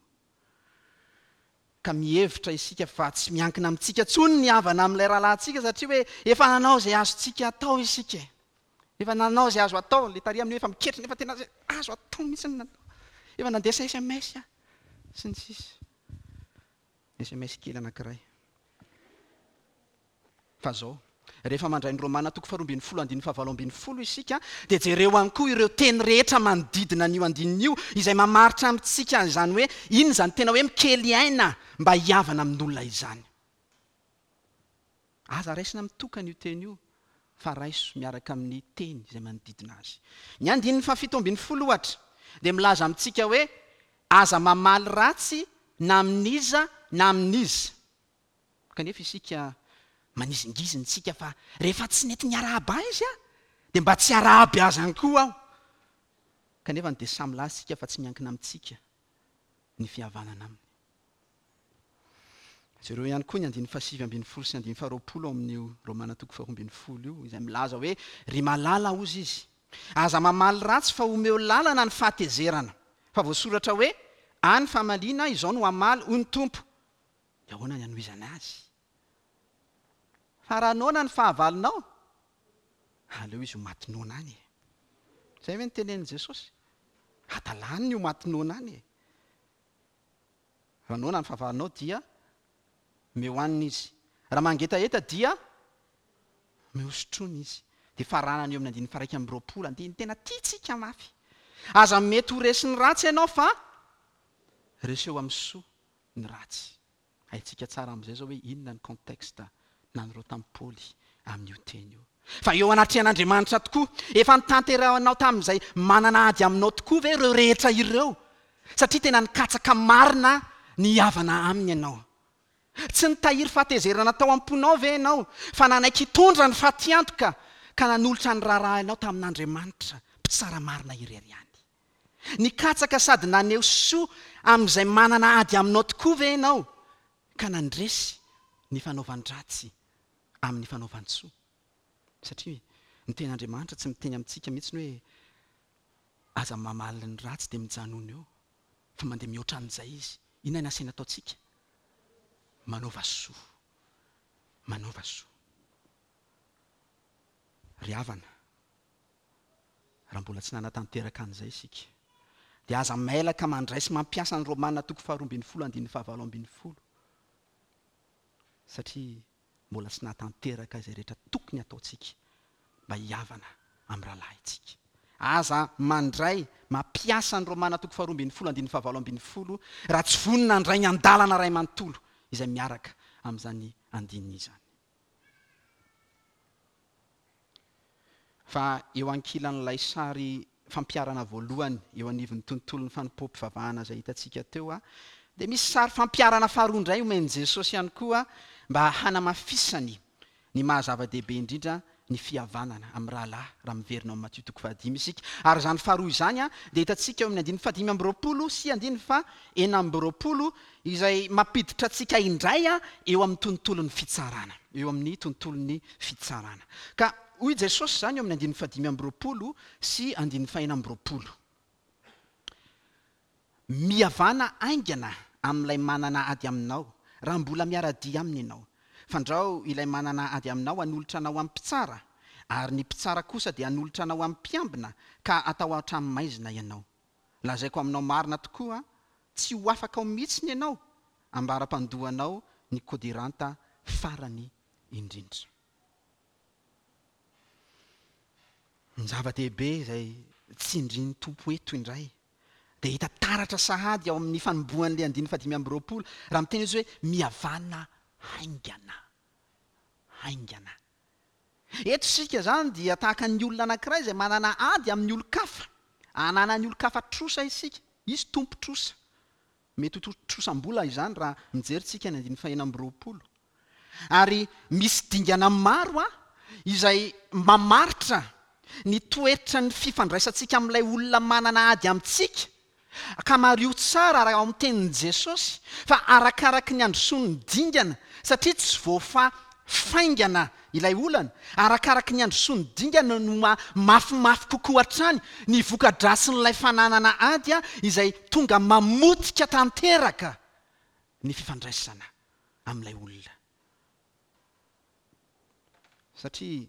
ka mihevitra isika fa tsy miankina amintsika intsony ny havana amin'ilay rahalahintsika satria hoe efa nanao izay azontsika atao isika e! Efa nanao izay azo atao, ilay tary amin'io efa miketrona efa tena izay azo atao mihitsy no natao, efa nandefa sms aho, sy ny sisa. Sms kely anankiray. Fa izao, rehefa mandray ny Romana toko faharoa ambin'ny folo andininy fahavalo ambin'ny folo isika, dia jereo ihany koa ireo teny rehetra manodidina an'io andininy io, izay mamaritra amintsika izany hoe inona izany tena hoe mikely aina mba hihavana amin'olona izany. Aza raisina mitokana io teny io, fa raiso miaraka amin'ny teny izay manodidina azy. Ny andininy fahafito ambin'ny folo, ohatra, dia milaza amintsika hoe aza mamaly ratsy na amin'iza na amin'iza. Kanefa isika manizingizina isika fa rehefa tsy nety niarahaba ahy izy dia mba tsy hiarahaba azy ihany koa aho. Kanefa dia samy milaza isika fa tsy miankina amintsika ny fihavanana aminy. Jereo ihany koa ny andininy fahasivy ambin'ny folo sy andininy faharoapolo ao amin'io Romana toko faharoa ambin'ny folo io, izay milaza hoe, Ry malala, hozy izy, aza mamaly ratsy fa omeo lalana ny fahatezerana. Fa voasoratra hoe, Ahy ny famaliana, izao no hamaly, hoy ny Tompo. Dia ahoana ny hanohizana azy? Fa raha noana ny fahavalonao, aleo izy ho maty noana any e! Izay ve no tenenin'i Jesosy? Hadalany ny ho maty noana any e! Raha noana ny fahavalonao dia omeo hanina izy. Raha mangetaheta dia omeo sotroina izy. Dia faranana eo amin'ny andininy faha-21, andininy tena tiantsika mafy. Aza mety ho resin'ny ratsy ianao fa reseo amin'ny soa ny ratsy. Haintsika tsara amin'izay izao hoe inona ny contexte nanoratan'i Paoly amin'io teny io. Fa eo anatrehan'Andriamanitra tokoa, efa notanterahinao tamin'izay manana ady aminao tokoa ve ireo rehetra ireo? Satria tena nikatsaka marina ny hihavana aminy ianao. Tsy nitahiry fahatezerana tao am-ponao ve ianao, fa nanaiky hitondra ny fatiantoka ka nanolotra ny raharahanao tamin'Andriamanitra, Mpitsara marina irery ihany? Nikatsaka sady naneho soa amin'izay manana ady aminao tokoa ve ianao, ka nandresy ny fanaovan-dratsy amin'ny fanaovan-tsoa? Satria ny Tenin'Andriamanitra tsy miteny amintsika mihitsy ny hoe aza mamaly ny ratsy dia mijanona eo, fa mandeha mihoatra an'izay izy. Inona ny asaina ataontsika? Manaova soa. Manaova soa. Ry havana, raha mbola tsy nanatanteraka an'izay isika, dia aza mailaka mandray sy mampiasa ny Romana toko faharoa ambin'ny folo andininy fahavalo ambin'ny folo, satria mbola tsy nahatanteraka izay rehetra tokony hataontsika mba hihavana amin'ny rahalahintsika. Aza mandray, mampiasa ny Romana toko faharoa ambin'ny folo andininy fahavalo ambin'ny folo raha tsy vonona handray ny andalana iray manontolo izay miaraka amin'izany andininy izany. Fa eo ankilan'ilay sary fampiharana voalohany eo anivon'ny tontolon'ny fanompoam-pivavahana izay hitantsika teo, dia misy sary fampiharana faharoa indray omen'i Jesosy ihany koa mba hanamafisany ny maha zava-dehibe indrindra ny fihavanana amin'ny rahalahy, raha miverina ao amin'ny Matio toko fahadimy isika. Ary izany faharoa izany dia hitantsika eo amin'ny andininy fahadimy amby roapolo sy andininy faha 26 izay mampiditra antsika indray eo amin'ny tontolon'ny fitsarana, eo amin'ny tontolon'ny fitsarana. Ka hoy Jesosy izany eo amin'ny andininy fahadimy amby roapolo sy andininy fahenina amby roapolo, Mihavàna haingana amin'ilay manana ady aminao, raha mbola miara-dia aminy ianao. Fandrao ilay manana ady aminao hanolotra anao amin'ny mpitsara, ary ny mpitsara kosa dia hanolotra anao amin'ny mpiambina, ka hatao an-tranomaizina ianao. Lazaiko aminao marina tokoa, tsy ho afaka ao mihitsiny ianao ambara-pandoanao ny kodiranta farany indrindra. Ny zava-dehibe izay tsindrin'ny Tompo eto indray dia hita taratra sahady ao amin'ny fanombohan'ilay andininy fahadimy amby roapolo raha miteny izy hoe mihavàna haingana. Haingana. Eto isika izany dia tahaka ny olona anankiray izay manana ady amin'ny olon-kafa. Ananan'ny olon-kafa trosa isika. Izy tompon-trosa. Mety ho trosam-bola izany raha mijery tsika ny andininy fahenina amby roapolo. Ary misy dingana maro izay mamaritra ny toetran'ny fifandraisantsika amin'ilay olona manana ady amintsika. Ka mariho tsara raha ao amin'ny tenin'i Jesosy fa arakaraky ny androsoan'ny dingana satria tsy voafaha faingana ilay olana, arakaraky ny androsoan'ny dingana no maha mafimafy kokoa hatrany ny voka-dratsin'ilay fananana ady izay tonga mamotika tanteraka ny fifandraisana amin'ilay olona. Satria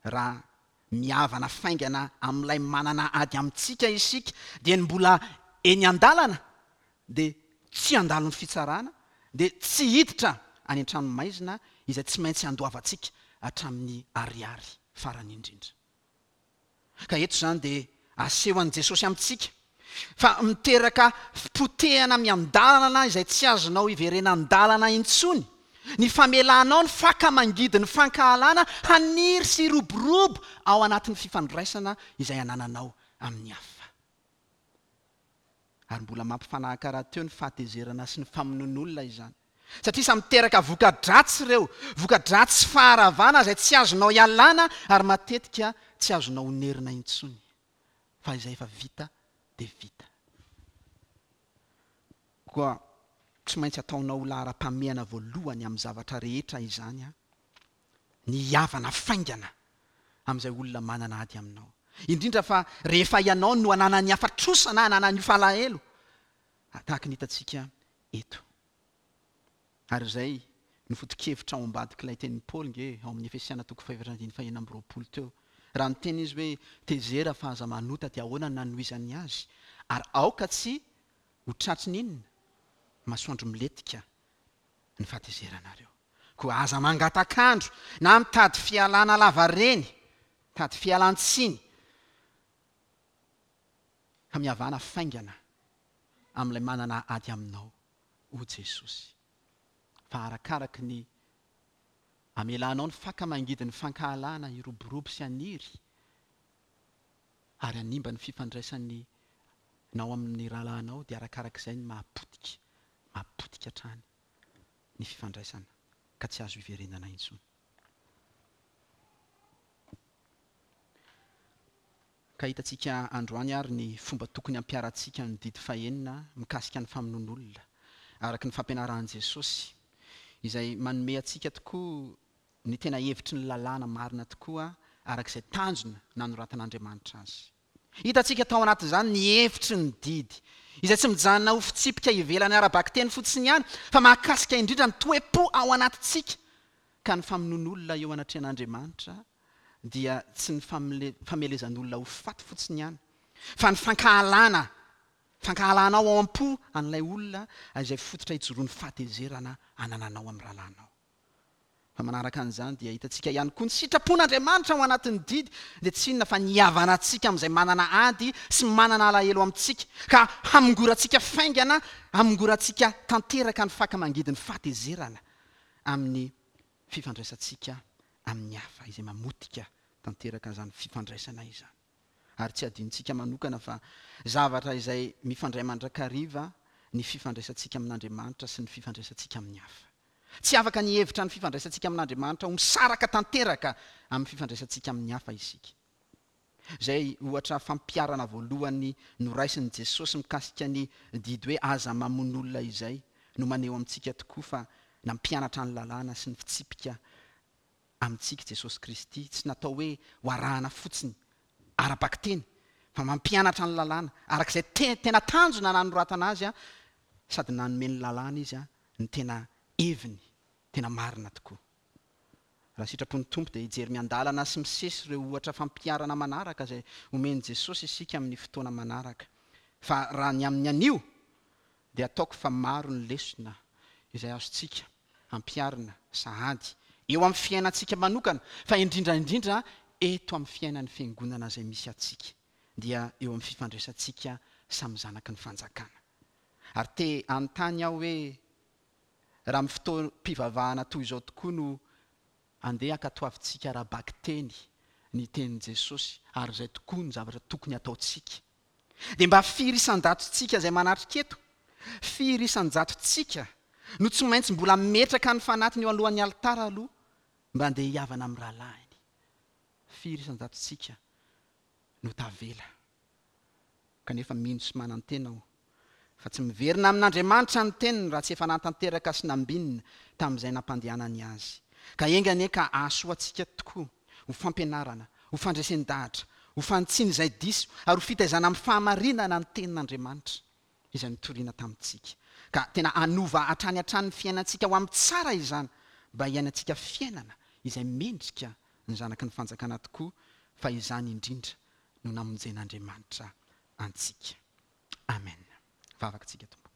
raha mihavana faingana amin'ilay manana ady amintsika isika dia ny mbola eny an-dalana dia tsy handalo ny fitsarana dia tsy hiditra any an-tranomaizina izay tsy maintsy handoavantsika hatramin'ny ariary farany indrindra. Ka eto izany dia asehon'i Jesosy amintsika fa miteraka fipotehana miandalana izay tsy azonao iverenan-dalana intsony ny famelanao ny faka mangidy ny fankahalana haniry sy hiroborobo ao anatin'ny fifandraisana izay anananao amin'ny hafa. Ary mbola mampifanahaka rahateo ny fahatezerana sy ny famonoan'olona izany. Satria samy miteraka voka-dratsy ireo, voka-dratsy sy faharavana izay tsy azonao ialana ary matetika tsy azonao onerina intsony. Fa izay efa vita dia vita. Koa tsy maintsy ataonao ho laharam-pahamehana voalohany amin'ny zavatra rehetra izany ny hihavana faingana amin'izay olona manana ady aminao. Indrindra fa rehefa ianao no ananan'ny hafa trosa na ananan'ny hafa alahelo, tahaka ny hitantsika eto. Ary izay no foto-kevitra ao ambadik'ilay tenin'i Paoly nge ao amin'ny Efesiana toko fahefatra andininy fahenina amby 20 teo. Raha niteny izy hoe tezera fa aza manota dia ahoana no nanohizany azy? Ary aoka tsy ho tratry ny inona? Masoandro milentika ny fahatezeranareo. Koa aza mangatak'andro na mitady fialana lavareny, mitady fialan-tsiny, fa mihavana faingana amin'ilay manana ady aminao, hoy Jesosy. Fa arakaraky ny amelanao ny faka mangidy ny fankahalana hiroborobo sy haniry ary hanimba ny fifandraisan'ny nao amin'ny rahalahinao dia arakarak'izay ny maha-potika, maha-potika hatrany ny fifandraisana ka tsy azo iverenana intsony. Ka hitantsika androany ary ny fomba tokony hampiharantsika ny didy fahenina mikasika ny famonoan'olona, araka ny fampianaran'i Jesosy, izay manome antsika tokoa ny tena hevitry ny lalàna marina tokoa araka izay tanjona nanoratan'Andriamanitra azy. Hitantsika tao anatin'izany ny hevitry ny didy, izay tsy mijanona ho fitsipika ivelany ara-bakiteny fotsiny ihany, fa mahakasika indrindra ny toe-po ao anatintsika, ka ny famonoan'olona eo anatrehan'Andriamanitra dia tsy ny famelezan'olona ho faty fotsiny ihany, fa ny fankahalana, fankahalanao ao am-po an'ilay olona izay fototra ijoroan'ny fahatezerana anananao amin'ny rahalahinao. Fa manaraka an'izany dia hitantsika ihany koa ny sitrapon'Andriamanitra ao anatin'ny didy dia tsy inona fa ny hihavanantsika amin'izay manana ady sy manana alahelo amintsika ka hamongorantsika faingana, hamongorantsika tanteraka ny faka mangidy ny fahatezerana amin'ny fifandraisantsika amin'ny hafa izay mamotika tanteraka an'izany fifandraisana izany. Ary tsy adinontsika manokana fa zavatra izay mifandray mandrakariva ny fifandraisantsika amin'Andriamanitra sy ny fifandraisantsika amin'ny hafa. Tsy afaka ny hihevitra ny fifandraisantsika amin'Andriamanitra ho misaraka tanteraka amin'ny fifandraisantsika amin'ny hafa isika. Izay ohatra fampiharana voalohany noraisin'i Jesosy mikasika ny didy hoe aza mamono olona izay no maneho amintsika tokoa fa nampianatra ny lalàna sy ny fitsipika amintsika Jesosy Kristy, tsy natao hoe ho arahana fotsiny ara-bakiteny fa mampianatra ny lalàna araka izay tena tanjona nanoratana azy sady nanome ny lalàna Izy ny tena heviny tena marina tokoa. Raha sitrapon'ny Tompo dia hijery miandalana sy misesy ireo ohatra fampiharana manaraka izay omen'i Jesosy isika amin'ny fotoana manaraka. Fa raha ny amin'ny anio dia ataoko fa maro ny lesona izay azontsika ampiharina sahady eo amin'ny fiainantsika manokana fa indrindra indrindra eto amin'ny fiainan'ny Fiangonana izay misy antsika dia eo amin'ny fifandraisantsika samy zanaky ny fanjakana. Ary te hanontany aho hoe raha amin'ny fotoam-pivavahana toy izao tokoa no andeha hankatoavintsika ara-bakiteny ny tenin'i Jesosy ary izay tokoa no zavatra tokony hataontsika. Dia mba firy isan-jatontsika izay manatrika eto, firy isan-jatontsika no tsy maintsy mbola metraka ny fanatiny eo alohan'ny alitara aloha mba andeha hihavana amin'ny rahalahiny? Firy isan-jatontsika no tavela? Kanefa mino sy manantena aho fa tsy miverina amin'Andriamanitra ny teniny raha tsy efa nahatanteraka sy nambinina tamin'izay nampandehanany azy. Ka enga anie ka hahasoa antsika tokoa ho fampianarana, ho fandresen-dahatra, ho fanitsiana izay diso ary ho fitaizana amin'ny fahamarinana ny Tenin'Andriamanitra izay notorina tamintsika. Ka tena hanova hatrany hatrany ny fiainantsika ho amin'ny tsara izany mba hiainantsika fiainana izay mendrika ny zanaky ny fanjakana tokoa fa izany indrindra no namonjen'Andriamanitra antsika. Amen. Vavaka tsika Tompo.